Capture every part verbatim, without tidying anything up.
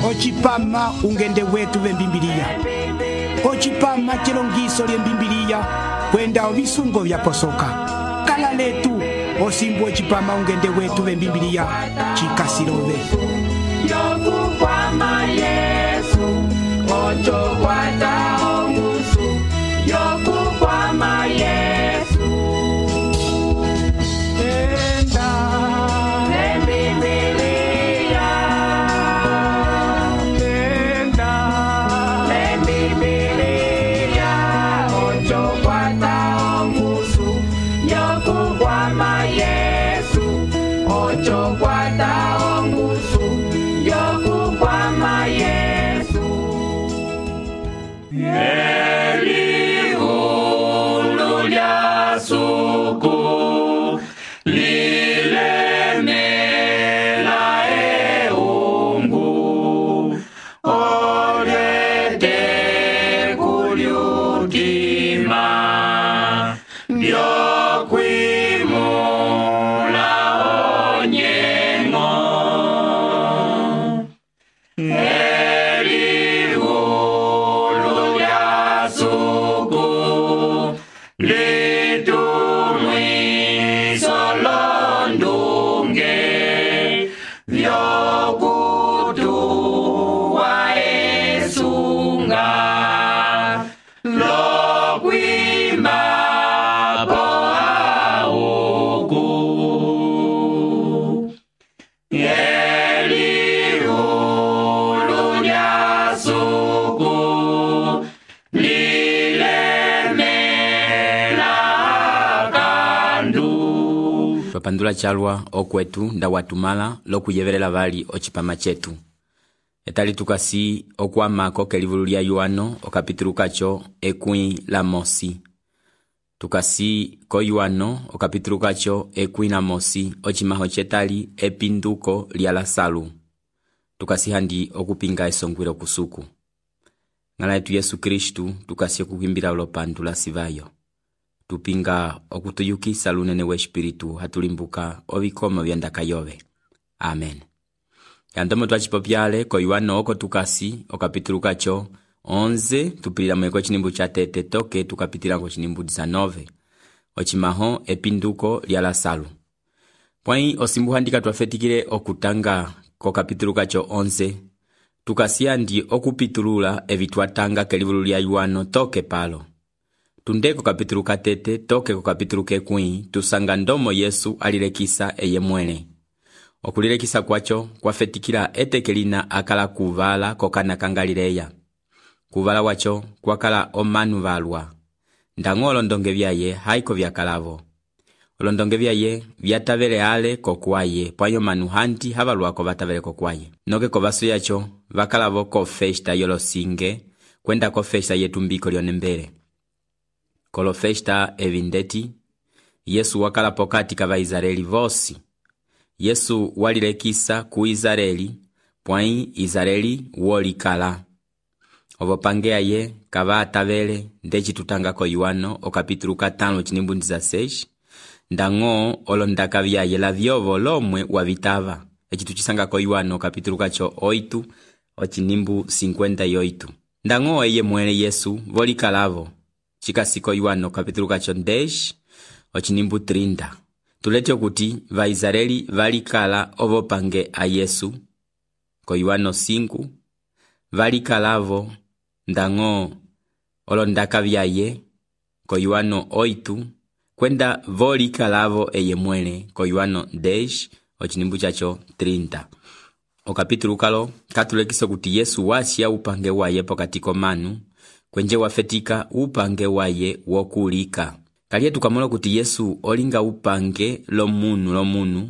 Ochipama ungende wetu vembimbilia. Ochipama chilongiso lye mbimbilia kwenda ovisungo vya posoka. Kala letu osimbu ochipama ungende wetu vembimbilia chikasilove. Yokukwama Yesu ocho kwata ongusu. Yokukwama Yesu enda lembibilia enda lembibilia ocho kwata ongusu. Yokukwama Yesu ocho kwata ongusu. Yokukwama Yesu Eliulu lya suku lilemela eungu olyete kulyutima lyokwimula onyengo. Eliulu lya suku litumwiso londunge vyokutuwa esunga lokwimbapo auku. Eliulu lya suku lilemela kandu. Twapandula chalwa okwetu nda watumala lokuyevelela vali ochipama chetu. Etali tukasi okwamako kelivulu lya Yohano okapitulu kacho ekwi la mosi. Tukasi ko Yohano okapitulu kacho ekwi la mosi ochimaho chetali epinduko lya Lasalu. Tukasi handi okupinga esongwilo kusuku. Ngala yetu Yesu Kristu tukasi okukimbila ulopandula sivayo. Tupinga okutuyukisa lunene we espiritu hatulimbuka ovikoma vyandaka yove. Amen. Yandomo twachipopyale ko Yohano oko tukasi okapitulu kacho onze tupilila mweko chinimbu cha tete toke tukapitila ko chinimbu disanove. Ochimaho epinduko lya Lasalu. Pwai osimbu handika twafetikile okutanga ko kapitulu kacho onze. Tukasi andi okupitulula evitwatanga kelivulu lya Yohano toke palo. Tundeko kapitulu katete toke ko kapitulu kekwi tusanga ndomo Yesu alilekisa eye mwene. Okulilekisa kwacho kwafetikila etekelina akala kuvala kokana kangalileya. Kuvala wacho kwakala omanu valwa. Ndango olondonge vyaye haiko vyakalavo. Olondonge vyaye vyatavele ale kokwaye pwayo manu handi havalwako vatavele kokwaye. Noke ko vaso yacho vakalavo ko festa yolosinge kwenda ko festa yetumbiko lyonembele. Kolo festa evindeti Yesu wakala pokati kava Izareli vosi. Yesu walilekisa ku Izareli pwai Izareli wolikala. Ovopangea ye kava atavele ndechi tutanga ko Yohano okapitulu katano chinimbu dezasseis. Ndango olondaka vyaye la vyovo lomwe wavitava. Echi tuchisanga ko Yohano kapitulu kacho oitu ochinimbu cinquenta y oito. Ndango eye mwene Yesu volikalavo. Chikasiko Yohano kapitulu kacho dez ochinimbu trinta. Tulete okuti va Izareli valikala ovopange a Yesu. Ko Yohano cinco valikalavo ndango olondaka vyaye ko Yohano oito kwenda volikalavo eye mwene ko Yohano dez ochinimbu chacho trinta. Okapitulu kalo katulekisa kuti Yesu wasia upange waye pokati komanu kwenje wafetika upange waye wokulika. Kaliye tukamola kuti Yesu olinga upange lo munu lo munu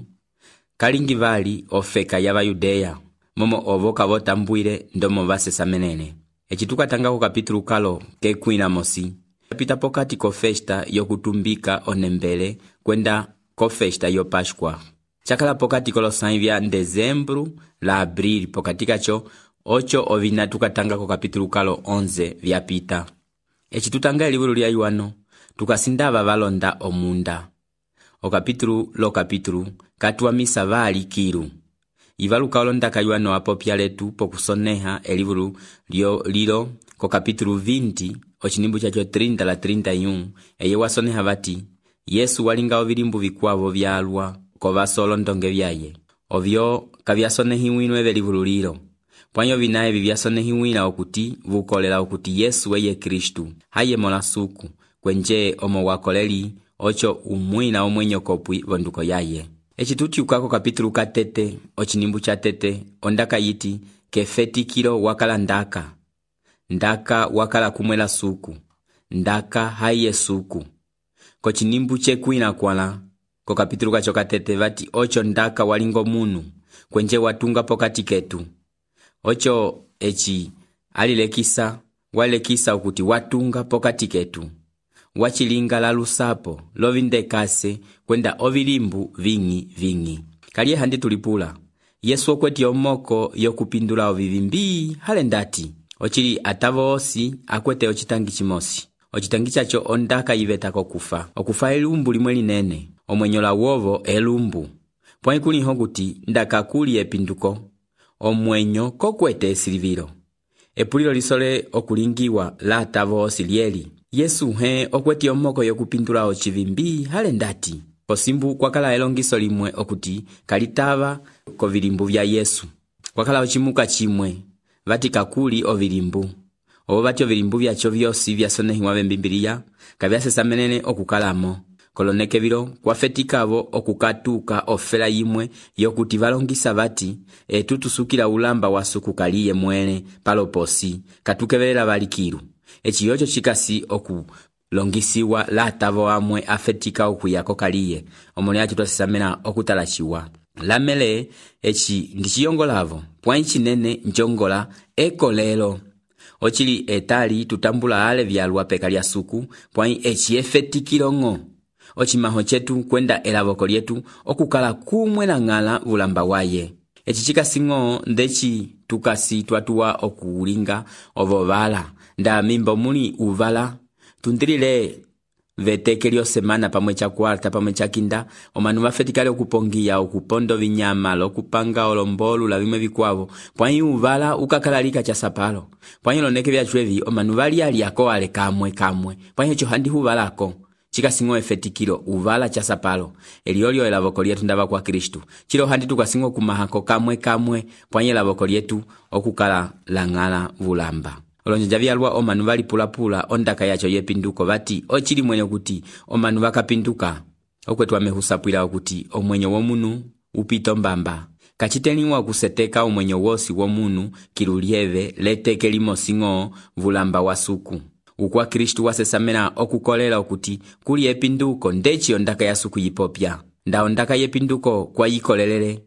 kalingi vali ofeka ya Yudeya momo ovoka votambwile ndomo vasesa menene. Echi tukatanga ko kapitulu kalo kekwina mosi pita pokati ko festa yokutumbika onembele kwenda ko festa yo Pascua. Chakala pokati ko losangi vya Dezembru la Abril pokati kacho ocho ovina tukatanga ko kapitulu kalo onze vya pita. Echi tutanga elivulu lya Yohano tukasindava valonda omunda. O kapitulu lo kapitulu katuwa misa vali kiru. ivaluka olondaka Yohano apopya letu pokusoneha elivulu lyo lilo ko kapitulu vinte ochinimbu chacho trinta la trinta y uno eye wasoneha vati Yesu walinga ovilimbu vikwavo vyalwa kovaso olondonge vyaye ovyo kavyasonehiwinwe velivulu lilo pwanyo vinaye vivyasonehiwina okuti vukolela okuti Yesu eye Kristu haye mola suku kwenje omo wakoleli ocho umwina omwenyo kopwi vonduko yaye. Echitutiukako kapitulu katete ochinimbu cha tete ondaka yiti kefetikilo wakala ndaka ndaka wakala kumwela suku ndaka haye suku kochinimbu chekwina kwala ko kapitulu kacho katete vati ocho ndaka walingo munu kwenje watunga pokati ketu ocho echi alilekisa walekisa okuti watunga pokati ketu wachilinga la lusapo lovindekase kwenda ovilimbu vingi vingi kaliye handi tulipula Yesu okweti omoko yokupindula ovivimbi hale ndati ochili atavo osi akwete ochitangi chimosi ochitangi chacho ondaka yiveta kokufa okufa elumbu limwe linene omwenyola wovo elumbu pwani kuliho kuti ndaka kuli epinduko omwenyo kokwete esilivilo epulilo lisole okulingiwa la atavo osi lieli Yesu he okweti omoko yokupindula ochivimbi hale ndati kosimbu kwakala elongiso limwe okuti kalitava kovilimbu vya Yesu kwakala ochimuka chimwe vati kakuli ovilimbu obo vati ovilimbu vyacho vyosi vyasonehiwa vembimbiliya kavyasesamenene okukalamo koloneke vilo kwafetikavo okukatuka ofela yimwe yokuti valongisa vati etu tusukila ulamba wasuku kaliye mwene paloposi katukevelela valikilu echi yocho chikasi okulongisiwa la atavo amwe afetika okuyako kaliye omoni acho twasisamena okutalachiwa lamele echi ndichiyongolavo pwani chinene njongola ekolelo ochili etali tutambula ale vyalwa peka lya suku pwani echi efetikilongo ochimaho chetu kwenda elavoko lyetu okukala kumwe na ngala ulamba waye echi chikasingo ndechi tukasi twatuwa okulinga ovovala nda mimbo muli uvala tundilile vetekelio semana pamwe cha kwarta pamwe cha kinda omanu vafetikale okupongia okupondo vinyama lokupanga olombolu la vimwe vikwavo pwanyi uvala ukakalalika cha sapalo pwanyi loneke vyachwevi omanu vali aliako ale kamwe kamwe pwanyi echo handi huvalako chikasingo efetikilo uvala cha sapalo eliolio elavoko lyetu ndava kwa Kristu chilo handi tukasingo kumahako kamwe kamwe pwanyi elavoko lyetu okukala langala vulamba olonja vyalwa omanu vali pulapula ondaka yacho yepinduko vati ochili mwenye kuti omanu vakapinduka okwetu amehusapwila okuti omwenyo womunu upito mbamba kachiteliwa kuseteka omwenyo wosi womunu kilulieve leteke limosingo vulamba wasuku ukwa Kristu wasesamena okukolela okuti kuli epinduko ndechi ondaka yasuku yipopya nda ondaka yepinduko kwa yikolelele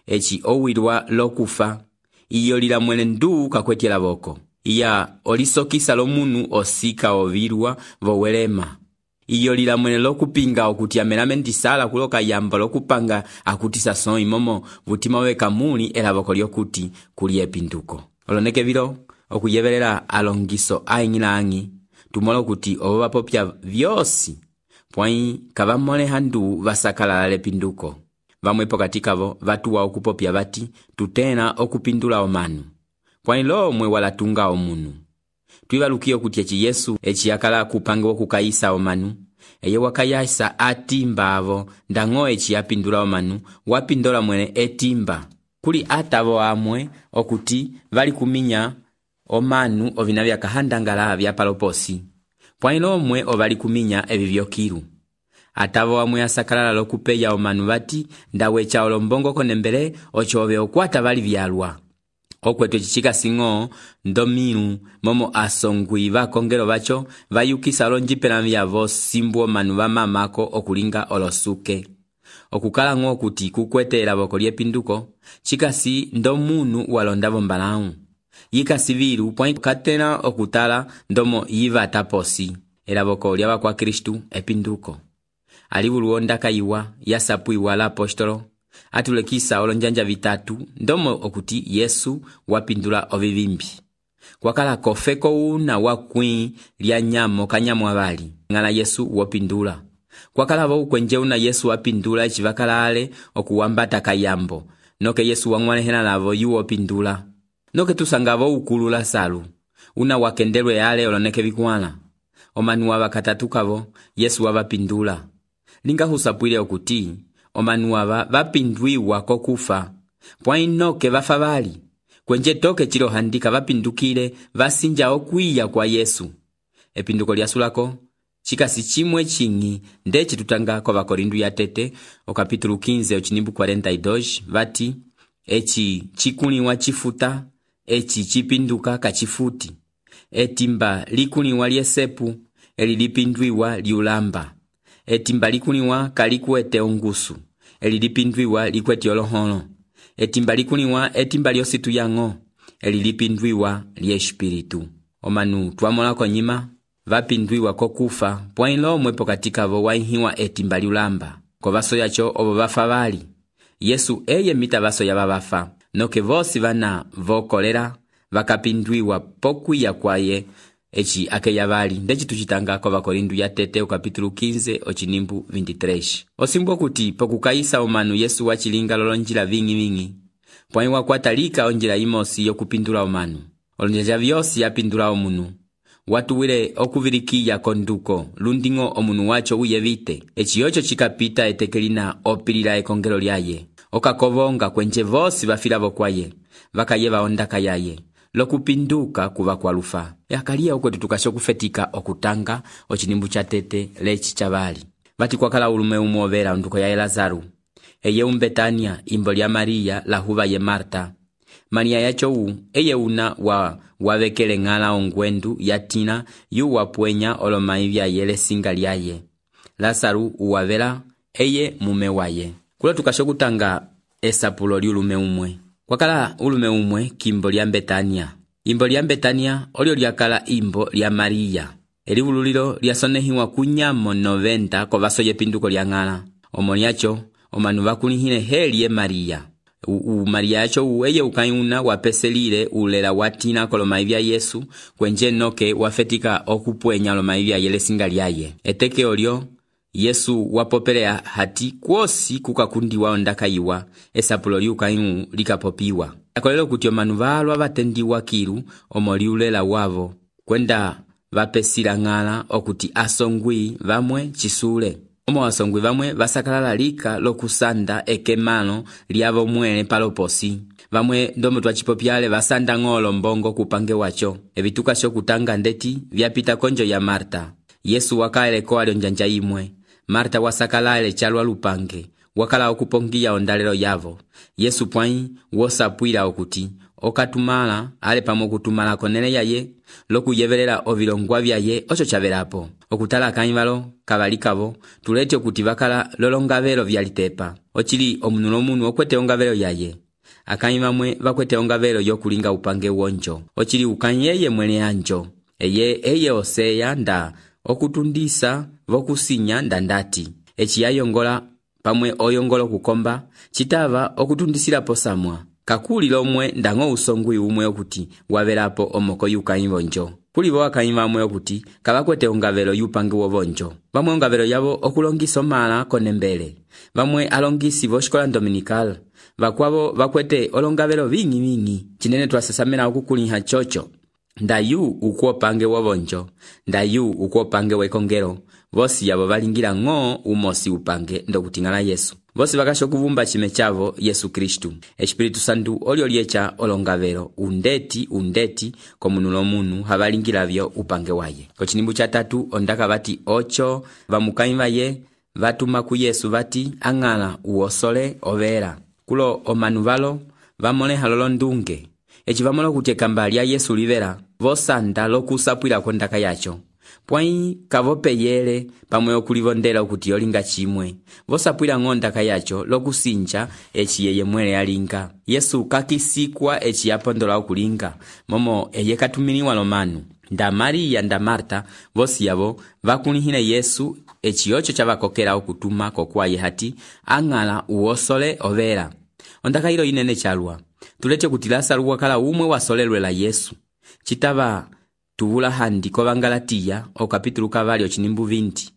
echi owilwa lokufa iyo lila mwene ndu kakwetela voko iya olisokisa lomunu osika ovilwa vowelema iyo lila mwene lokupinga okuti amelame ndisala kuloka yamba lokupanga akutisa son imomo vutima weka muli elavoko lyokuti kuli epinduko oloneke vilo okuyevelela alongiso aingila angi tumola okuti obo vapopya vyosi pwai kavamole handu vasakala lepinduko vamwe pokati kavo vatuwa okupopya vati tutena okupindula omanu pwani lomwe walatunga omunu twivalukiyo kuti echi Yesu echi yakala kupanga okukayisa omanu eye wakayasa atimba avo ndango echi yapindula omanu wapindola mwene etimba kuli atavo amwe okuti vali kuminya omanu ovina vyakahandangala vya paloposi pwani lomwe ovali kuminya evi vyokilu atavo amwe asakalala lokupeya omanu vati ndawecha olombongo konembele ochove okwata vali vyalwa okwetu echi chikasingo ndomilu momo asongwi vakongelo vacho vayukisa lonjipela vyavo simbu omanu vamamako okulinga olosuke okukala ngo kuti kukwete elavoko lyepinduko chikasi ndomunu walondavo mbalau yikasi vilu pwani katena okutala ndomo yiva taposi elavoko lyava kwa Kristu epinduko alivulu ondaka iwa yasapuiwa la apostolo atulekisa olonjanja vitatu ndomo okuti Yesu wapindula ovivimbi kwakala kofeko una wakwi lya nyamo kanyamo avali ngala Yesu wapindula kwakala vo kwenje una Yesu wapindula echi vakalale okuwambata kayambo noke Yesu wang'walehela lavo yuwo pindula. Noke tusangavo ukulu Lasaru, una wakendelwe ale oloneke vikwala. Omanu wava katatukavo, Yesu wavapindula. Linga husapwile okuti, omanu wava vapindwiwa kokufa. Pwa inoke vafa bali. Kwenje toke chilo handika vapindukile vasinja okwiya kwa Yesu. Epinduko lyasulako, chikasi chimwe chingi ndechi tutanga kwa Vakorindu ya tete, o kapitulu quinze ochinimbu quarenta y dos, vati, echi chikuliwa chifuta, echi chipinduka kachifuti. Etimba likuliwa liesepu, eli lipindwiwa liulamba. Etimba likuliwa kalikuete ongusu, eli lipindwiwa likweti oloholo. Etimba likuliwa etimba liositu yango, eli lipindwiwa liespiritu. Omanu tuamola konyima, vapindwiwa kokufa, pwailo mwepo katika vo waihiwa etimba liulamba. Ko vaso yacho obo vafa bali. Yesu eye mita vaso ya babafa, noke vosi vana vokolera, vakapindwiwa pokwiya kwaye, echi akeya bali. Ndechi tuchitanga kwa Vakorindu ya tete, o kapitulu quinze ochinimbu veintitrês. Osimbo kuti pokukaisa omanu Yesu wachilinga lolonjila vingi vingi. Pwaiwa kwatalika onjila imosi yokupindula omanu. Olonjila vyosi yapindula omunu. Watu wile okuvirikiya konduko, lundingo omunu wacho uyevite. Echi yocho chikapita etekelina opilila ekongelo lyaye. Okakovonga kwenje vosi vafilavo kwaye. Vakayeva ondaka yaye. Lokupinduka kuva kwa lufa. Yakalia uko tutukasho kufetika okutanga ochinimbu cha tete lechi chabali. Vati kwa kala ulume umuovera onduko ya Lazaru. Eye umbetania imbo lya Maria la huva ye Marta. Maria yacho u, eye una wa wavekele ngala ongwendu yatina yu wapwenya olomaivya yele singa lyaye. Lazaru uwavela eye mume waye. Kula tukasho kutanga esapulo li ulume umwe. Kwa kala ulume umwe kimbo lya Betania. Imbo lya Betania olio lyakala imbo lya Maria. Eli ululilo lyasonehiwa kunyamo noventa ko vaso yepinduko lya ngala. Omoni yacho, omanu vakulihine heli ye Maria. U, u Maria yacho uweye ukayuna wapeselile ulela watina kolomaivya Yesu, kwenje noke wafetika okupwenya olomaivya yele singa lyaye. Eteke olio, Yesu wapopelea hati kwosi kukakundiwa ondaka iwa, esapulo liukainu likapopiwa. Akolelo kuti omanu valwa vatendiwa kilu omoliulela wavo, kwenda vapesila ngala okuti asongwi vamwe chisule. Omo asongwi vamwe vasakalala lika lokusanda ekemalo liavo mwele paloposi. Vamwe ndomo twachipopyale vasanda ngolo mbongo kupange wacho. Evituka sho kutanga ndeti vyapita konjo ya Marta. Yesu wakaele kwa alionjanja imwe. Marta wasakalale chalwa lupange. Wakala okupongia ondalelo yavo. Yesu pwai wosapwila okuti. Okatumala ale pamo kutumala konele yaye. Loku yevelela ovilongwa vyaye ocho chavelapo. Okutala kanivalo kabalikavo. Tulete okuti vakala lolongavelo vyalitepa. Ochili omunulo munu okwete ongavelo yaye. Akanyimamwe vakwete ongavelo yokulinga upange wonjo. Ochili ukanyeye mwene anjo. Eye eye oseya nda okutundisa vokusinya ndandati. Echi yayongola pamwe oyongolo kukomba, chitava okutundisila posamwa. Kakuli lomwe ndango usongwi umwe okuti wavelapo omoko yukanyivonjo. Kuli vo akanyimamwe okuti kabakwete ongavelo yupange wovonjo. Vamwe ongavelo yavo okulongiso mala konembele. Vamwe alongisi voshkola dominical. Vakwavo vakwete olongavelo vingi vingi. Chinene twasasamena okukuliha chocho. Ndayu ukuopange wovonjo. Ndayu ukuopange wekongero. Vosi yabo valingira ngo umosi upange ndokutingala Yesu. Vosi vakasho kuvumba chime chavo Yesu Kristu. Espiritu Santu olio liecha olongavero undeti undeti komunulo munu havalingira vyo upange waye. Kochinimbu cha tatu ondaka vati ocho vamukaimva ye vatuma ku Yesu vati angala uosole overa. Kulo omanu valo vamole halolo ndunge. Echi vamolo kutekamba lya Yesu livera vosanda lokusapwila kondaka yacho. Pwai kavope yele pamwe okulivondela okuti yolinga chimwe. Vosapwila ngondaka yacho lokusinja echi yeye mwele yalinga. Yesu kakisikwa echi yapondola okulinga. Momo eye katuminiwa lomanu. Nda Maria nda Marta vosi yavo vakulihine Yesu echi yocho chavakokela okutuma kokwaye hati angala uosole overa. Ondaka hilo inene chalwa. Tulete kuti Lasaru wakala umwe wasolelwe la Yesu. Chitava tuvula handi ko Bangalatiya o kapitulu kavali ochinimbu vinti.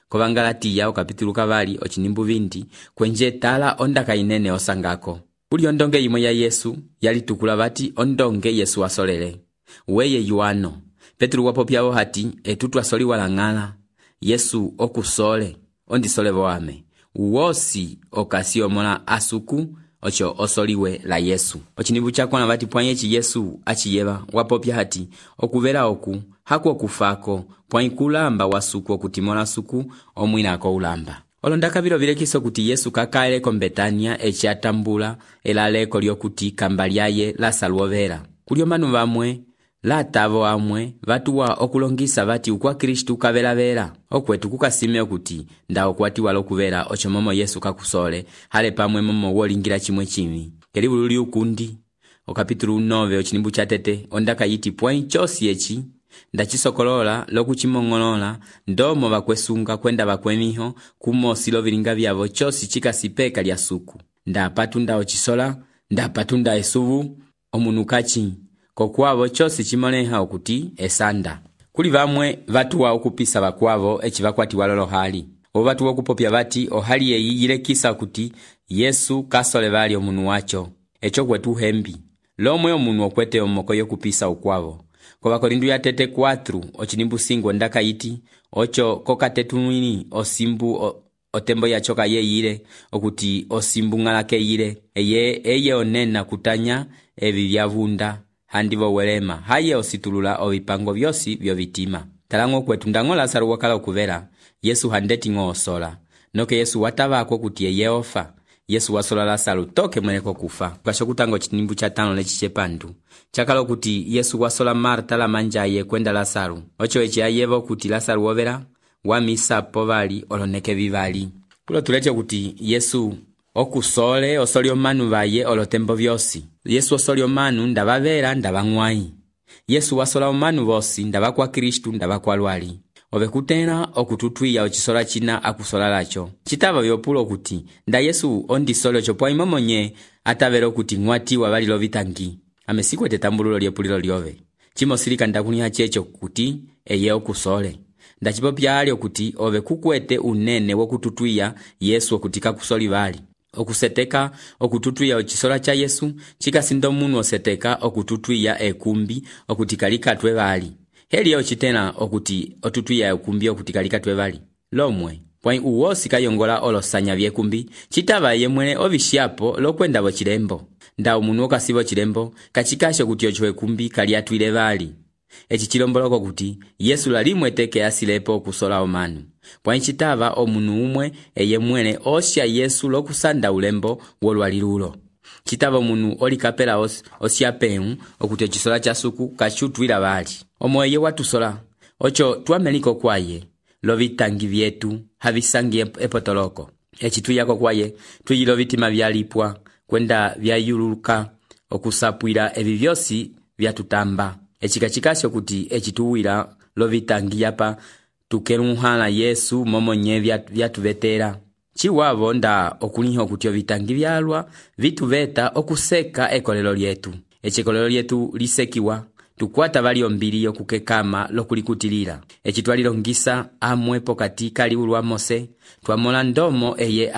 Ko Bangalatiya o kapitulu kavali ochinimbu vinti kwenje tala ondaka inene osangako. kuli ondonge imwe ya Yesu yalitukula bati ondonge Yesu wasolele. Weye Yuano Petro wapopyawo hati etu twasoli walang'ala Yesu okusole ondisole boame uwosi okasi omola asuku ocho osoliwe la Yesu. Ochinibu chakwana bati pwanyechi Yesu achiyeba wapopya hati okuvera oku haku okufako pwanyikulamba wasuku okutimola suku omwinako ulamba. Olondaka bilo bilekiso kuti Yesu kakaeleko Betania echi atambula elaleko lyokuti kamba lyaye Lazaro overa. Kulyo manu bamwe latavo amwe batuwa okulongisa bati ukwa Kristu kabelavera okwetu kukasime okuti nda okwatiwa lokuvera ocho momo Yesu kakusole hale pamwe momo wolingira chimwe chimi. Kelibulu li ukundi okapitulu nove ochinimbu chatete ondaka yiti pwen chosi echi ndachisokolola lokuchimongolola ndomo bakwesunga kwenda bakwemiho kumosi lovilinga byabo chosi chikasipeka lya suku nda patunda ochisola nda patunda esuvu omunukachi kokwabo chosi chimoleha okuti esanda. Kuli bamwe batuwa okupisa bakwabo echi bakwati walolo hali obo batuwa okupopya bati ohali yeyi yilekisa kuti Yesu kasole bali omunu wacho echo kwetu hembi lomwe omunu okwete omoko yokupisa ukwabo. Kwa Bakorindu ya tete kwatru ochinimbu singo ndaka yiti ocho kokatetunwini osimbu o, otembo ya choka ye yire okuti osimbu ngalake yire eye eye onena kutanya ebi byavunda handivo welema haye ositulula obipango byosi byo bitima. Talango kwetu ndango Lazaro wakala okuvera Yesu handeti ngo osola noke Yesu watabako kuti eye ofa Yesu wasola Lazaro toke mweneko kufa. Kasho kutango chinimbu cha tano lechi chepandu chakalo kuti Yesu wasola Marta la manjaye kwenda Lazaro ocho echi ayevo kuti Lazaro overa wamisa povali oloneke vivali. Kulo tuleche kuti Yesu okusole osoli omanu baye olotembo byosi. Yesu osoli omanu ndabavera ndabangwai. Yesu wasola omanu bosi ndabakwa Kristu ndabakwa lwali. Ovekutena okututwiya ochisola china akusola lacho. Chitaba byopulo kuti nda Yesu ondisole chopwa imomonye atavero kuti ngwati wabali lovitangi. Amesikwe tetambululo lyepulilo lyove. Chimo silika ndakuniha checho kuti eye okusole. Ndachipopya ali okuti ove kukwete unene wokututwiya Yesu okutika kusoli bali. Okuseteka okututwiya ochisola cha Yesu chikasindo munu oseteka okututwiya ekumbi okutikalikatwe bali. Heli ochitena okuti otutwiya ekumbi okutikalikatwe bali. Lomwe pwa uwosi kayongola olosanya byekumbi chitaba yemwene obishapo lokwenda bo chilembo. Nda omunu okasibo chilembo kachikasho kuti ocho ekumbi kali atwile bali. Echi chilomboloko kuti Yesu lalimwe teke asilepo okusola omanu. Pwa nchitaba omunu umwe eye mwene osya Yesu lokusanda ulembo wolwalilulo. Chitaba omunu olikapela os, osya penu okuti ochisola cha suku kachutwila bali. Omo eye watusola ocho tuameliko kwaye lovitangi vyetu havisangi epotoloko. Echi tuyako kwaye tuyilo vitima vyalipwa kwenda vyayuluka okusapwila ebi byosi vyatutamba. Echikachikasyo kuti echituwila lovitangi yapa tukeluhala Yesu momonye vyatuvetera. Chiwavo nda okuliho kuti ovitangi vyalwa vituveta okuseka ekolelo lyetu. Echikolelo lyetu lisekiwa tukwata bali ombili yokukekama lokulikutilila. Echitwalilongisa amwe pokati kali ulwa Mose twamola ndomo eye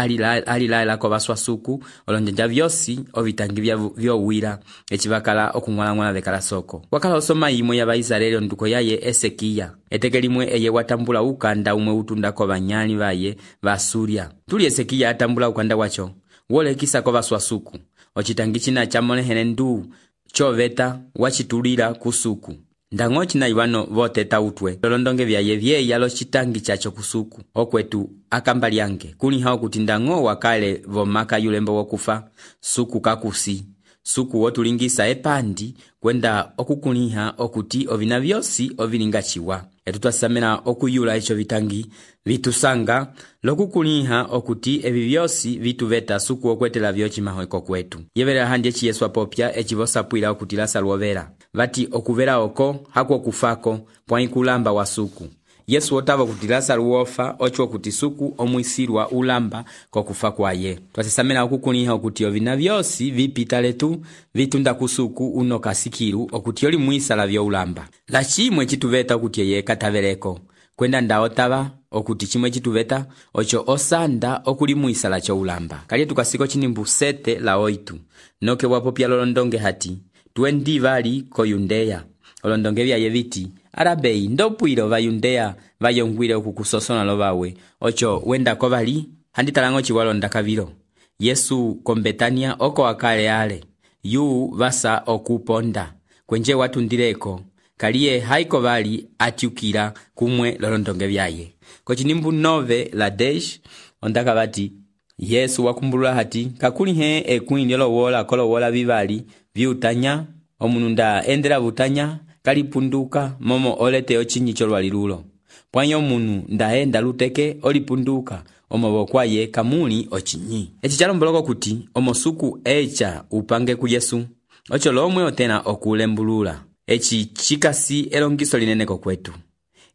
alilaela ko baswasuku olonjanja byosi ovitangi byowira echibakala okungwala bekala soko. Wakala osoma imwe ya Baisraeli nduko yaye Esekia etekelimwe eye watambula ukanda umwe utunda ko banyali baye basuria. Tuli Esekia atambula ukanda wacho wolekisa ko baswasuku ochitangi china chamone henendu choveta wachitulira kusuku. Ndango china iwano vote tautwe lolondonge vyaye vye yalo chitangi chacho kusuku okwetu akamba lyange kuni hao kuti ndango wakale vomaka yulembo wokufa suku kakusi suku wotulingisa epandi kwenda okukuniha okuti ovina vyosi ovilingachiwa. Etutasamena okuyula echo vitangi vitusanga lokukuniha okuti ebi byosi vituveta suku okwetela vyochi mahweko kwetu. Yebera handi echi Yesu apopya echivosapwila okuti Lazaro overa. Vati okuvera oko hako kufako pwanyikulamba wa suku. Yesu otava kuti Lazaro wofa ocho kuti suku omwisirwa ulamba kokufa kwaye. Twasisamena okukuniha okuti ovina vyosi vipita letu vitunda kusuku uno kasikiru okuti oli mwisala vyo ulamba. Lachimwe chituveta okuti yeye katavereko kwenda nda otava okuti chimwe chituveta ocho osanda okulimwisa la choulamba. Kalye tukasiko chinimbu sete la oitu noke wapopya lolondonge hati twendi vali ko Yudea. Olondonge vya yeviti arabei ndopwilo va Yudea vayongwile okukusosona lo vawe ocho wenda ko vali handitalango chiwalonda kavilo. Yesu ko Betania oko akale ale yu vasa okuponda kwenje watundireko kaliye haiko vali atyukila kumwe lolondonge vyaye. Ko chinimbu nove la desh ondaka vati Yesu wakumbulula hati kakuli he ekwini yolo wola kolo wola vivali viutanya omununda endela vutanya kalipunduka momo olete ochinyi cholwalilulo pwanyo munu ndaenda luteke olipunduka omobo kwaye kamuli ochinyi. Echi chalomboloko kuti omosuku echa upange ku Yesu ocho lomwe otena okulembulula. Echi chikasi elongiso lineneko kwetu.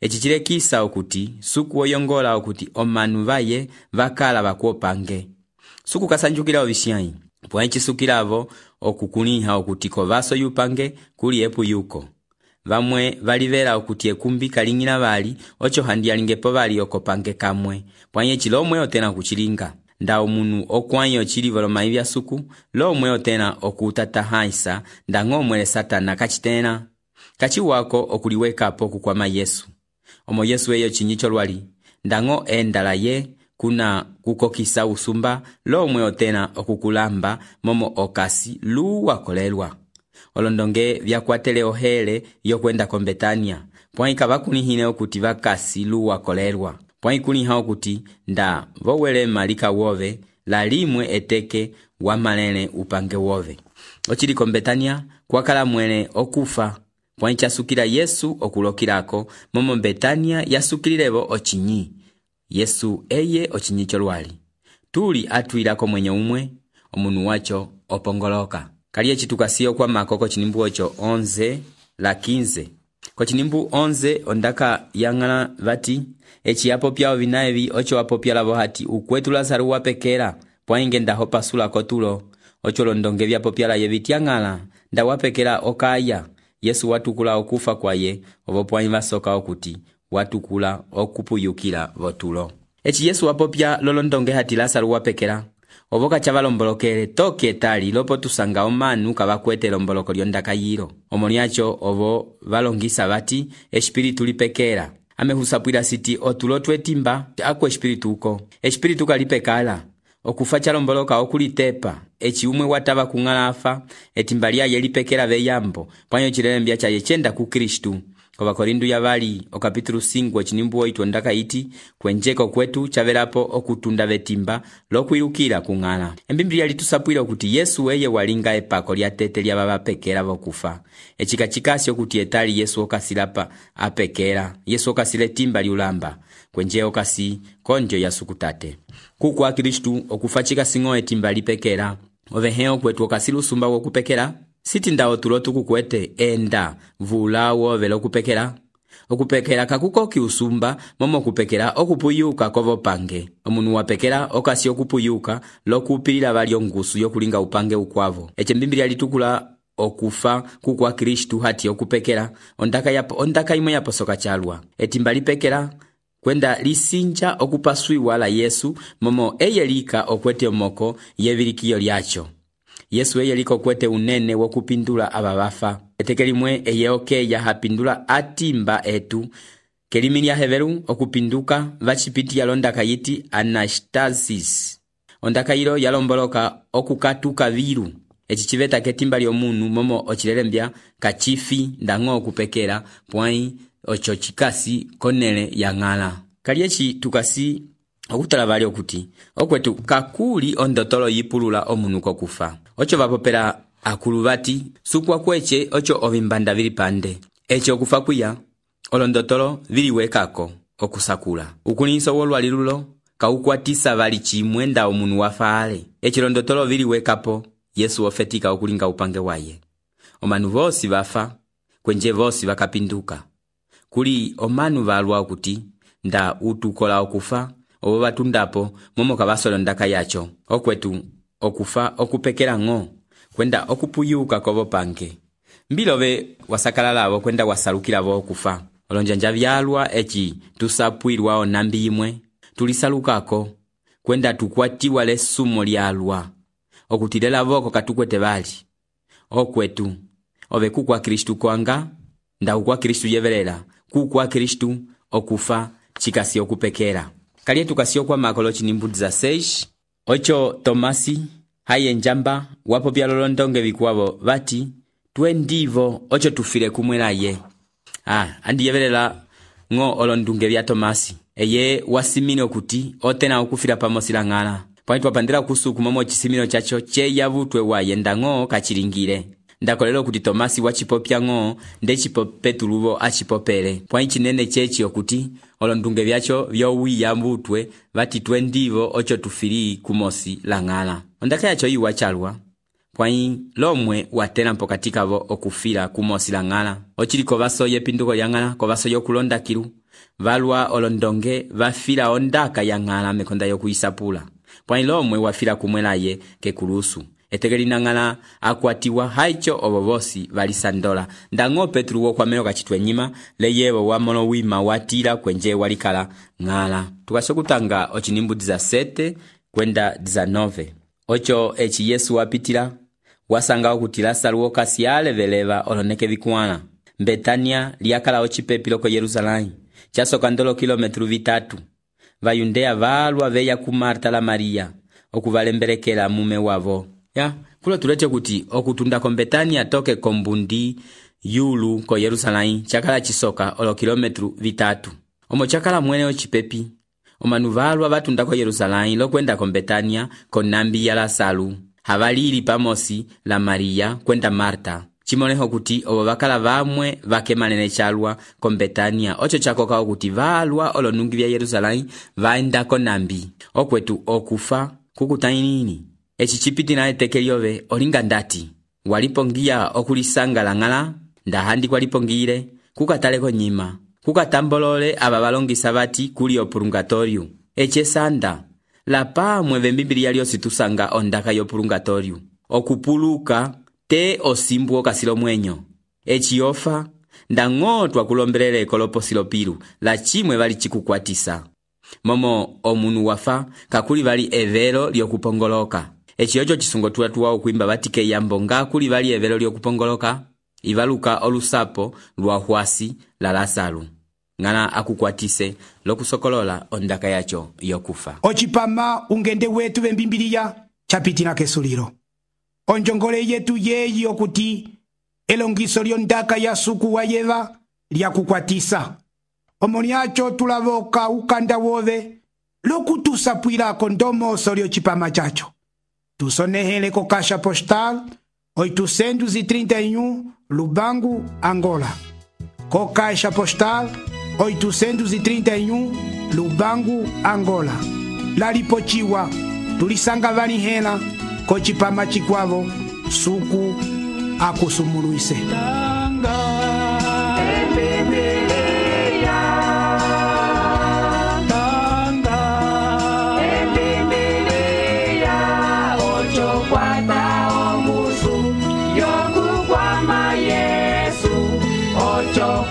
Echi chilekisa okuti suku oyongola okuti omanu vaye vakala vakuopange suku kasanjukila ovishyai pwa ichisukilavo okukuniha okuti kovaso yupange kuli epu yuko vamwe valivela okuti ekumbi kalingina vali ocho handiyalingepo vali okopange kamwe pwanye chilomwe otena kuchilinga nda omunu okwanyo chilivo lomayi vya suku lomwe otena okutatahaisa nda ng'omwele satana kachitena kachiwako okuliwekapo kukwama Yesu. Omo Yesu eyo chinyicho lwali ndango endala ye kuna kukokisa usumba lomwe otena okukulamba momo okasi luwa kolelwa. Olondonge vyakwatele ohele yokwenda ko Betania pwaika vakunihine okuti vakasi luwa kolelwa pwaikuniha okuti nda vowele malika wove la limwe eteke wa malele upange wove. Ochili ko Betania kwakala mwele okufa pwaichasukila Yesu okulokilako momo Betania yasukililevo ochinyi. Yesu eye ochinyi cholwali tuli atwilako mwenye umwe omunu wacho opongoloka. Kaliye chitukasio kwa makoko chinimbu ocho onze la quinze. Ko chinimbu onze ondaka yangala vati echi yapo pyao vinaevi ocho wapo pyalavo hati ukwetu Lazaro wapekela pwainge ndaho pasula kotulo ocho londonge vyapo pyala yevitiangala nda wapekela okaya. Yesu watukula okufa kwaye ovo pwanyi vasoka okuti watukula okupuyukila votulo. Echi Yesu wapopya lolondonge hati Lazaro wapekela ovoka chavalombolokele toke tali lopo tusanga omanu kavakwete lomboloko lyondaka yiro. Omoniacho ovo valongisa vati espiritu lipekela amehusapwila siti otulo twetimba akwe espiritu uko espiritu kalipekala okufa chalomboloka okulitepa echi umwe watava kungala afa etimba lyaye lipekela veyambo pwanyo chilembya chaye chenda ku Kristu. Kova Korindu ya vali o kapitulu cinco chinimbu oito ndaka iti kwenjeko kwetu chavelapo okutunda vetimba lokwilukila kungala. Embiblia litusapwila okuti Yesu eye walinga epako lya tete lya baba pekela vokufa echika chikasi okuti etali Yesu okasilapa apekela Yesu okasile timba liulamba kwenje okasi konjo ya sukutate kukwa Kristu okufa chikasingo etimba lipekela oveheo kwetu okasilu sumba wokupekela siti ndao tulotu kukwete enda vula wove lokupekela okupekela kakukoki usumba momo kupekela okupuyuka kovo pange omunu wapekela okasi okupuyuka lokupilila vali ongusu yokulinga upange ukwavo. Eche mbiblia litukula okufa kukwa Kristu hati okupekela ondaka yapo ondaka imwe yaposoka chalwa etimba lipekela kwenda lisinja okupaswiwa la Yesu momo eyelika okwete omoko yevilikio lyacho. Yesu eye liko kwete unene wokupindula ababafa etekelimwe eye okeya hapindula atimba etu kelimi lya heveru okupinduka vachipiti yalondaka yiti anastasis ondaka yilo yalomboloka okukatuka viru echi chiveta ketimba lyomunu momo ochilelembya kachifi ndango okupekela pwai ocho chikasi konele yangala. Kaliechi tukasi okutala vali okuti okwetu kakuli ondotolo yipulula omunu kokufa ocho vapopela akuluvati sukwa kweche ocho ovimbanda vili pande echo okufa kuya olondotolo viliwekako okusakula ukuninso wolwalilulo kaukwatisa vali chimwe nda omunu wafaale echo londotolo viliwekapo Yesu ofetika okulinga upange waye. Omanu vosi vafa kwenje vosi vakapinduka kuli omanu valwa okuti nda utukola okufa obo batundapo momo kabasolo ndaka yacho okwetu okufa okupekela ngo kwenda okupuyuka kovo pange mbilobe wasakalala abo kwenda wasalukila bo okufa olonjanja vyalwa eci tusapwirwa onambi imwe tulisalukako kwenda tukwatiwa lesumo lyalwa okutilela voko katukwete bali okwetu ove kukwa Kristu kwanga nda ukwa Kristu yevelela kukwa Kristu okufa chikasi okupekera kaliye tukasio kwa makolo chinimbudiza seis ocho Tomasi haye njamba wapo byalolondonge bikwabo bati twe ndivo ocho tufile kumwelaye ah andi yevelela ngo olondunge bya Tomasi eye wasimino kuti otena okufira pamosila ngala pwani twapandira kusuku momo chisimino chacho che yavutwe wayenda ngo kachiringire ndakolelo kuti Tomasi wachipopya ngo nde chipopetuluvo achipopele pwani chinene chechi okuti olondunge byacho byowi yambutwe bati twe ndivo ocho tufiri kumosi la ngala ondaka yacho yiwa chalwa pwani lomwe watena mpokatika vo okufira kumosi la ngala ochiliko baso yepinduko ya ngala ko baso yokulonda kilu valwa olondonge vafira ondaka ya ngala mekonda yokuisapula pwani lomwe wafira kumwelaye kekulusu etegelina ngala akwatiwa haicho obobosi valisandola ndango Petru wo kwameo kachitwe nyima leyevo wa mono wima watira kwenje walikala ngala tukasokutanga ochinimbudiza sete kwenda dizanove ocho echi Yesu wapitila wasanga okuti Lazaro kasiale veleva oloneke bikuana Betania liakala ochipepilo ko Yerusalemu chasoka ndolo kilometru vitatu vayundea valwa veya ku Marta la Maria okuvalemberekela mume wavo ya kulo tulete kuti okutunda ko Betania toke kombundi yulu ko Yerusalemu chakala chisoka olo kilometru vitatu omo chakala mwene ochipepi omanuvalwa batunda ko Yerusalemu lokwenda ko Betania ko nambi ya Lazaro havalili pamosi la Maria kwenda Marta chimoneho kuti obo bakala vamwe vakemanene chalwa ko Betania ocho chakoka okuti valwa olonungi bya Yerusalemu vaenda ko nambi okwetu okufa kukutainini echi chipiti na etekeliove olinga ndati walipongia okulisanga langala ndahandi kwalipongire kukataleko nyima kukatambolole aba balongisa bati kuli opurgatorio eche sanda la pamwe vembibili lyosi tusanga ondaka yo purgatorio okupuluka te osimbu kasilo mwenyo echi ofa ndangotwa kulombelele koloposilo pilu la chimwe bali chikukwatisa momo omunu wafa kakuli bali evelo lyokupongoloka echi ocho chisungo tuwa okuimba batike yambonga kuli bali evelo lyokupongoloka ivaluka olusapo lwa hwasi la Lazaro ngana akukwatise lokusokolola ondaka yacho yokufa ochipama ungende wetu bembimbiliya chapitina kesuliro onjongole yetu yeyi okuti elongiso lyondaka ya suku wa yeva lyakukwatisa omoniacho tulavoka ukanda wove lokutusapwilako ndomoso lyochipama chacho tusonehele ko kasha postal oitocentos e trinta e um Lubango, Angola. Co caixa postal oitocentos e trinta e um Lubango, Angola. Laripochiwa tulisanga vanihena kochipama chikwavo suku akusumuluise. Yo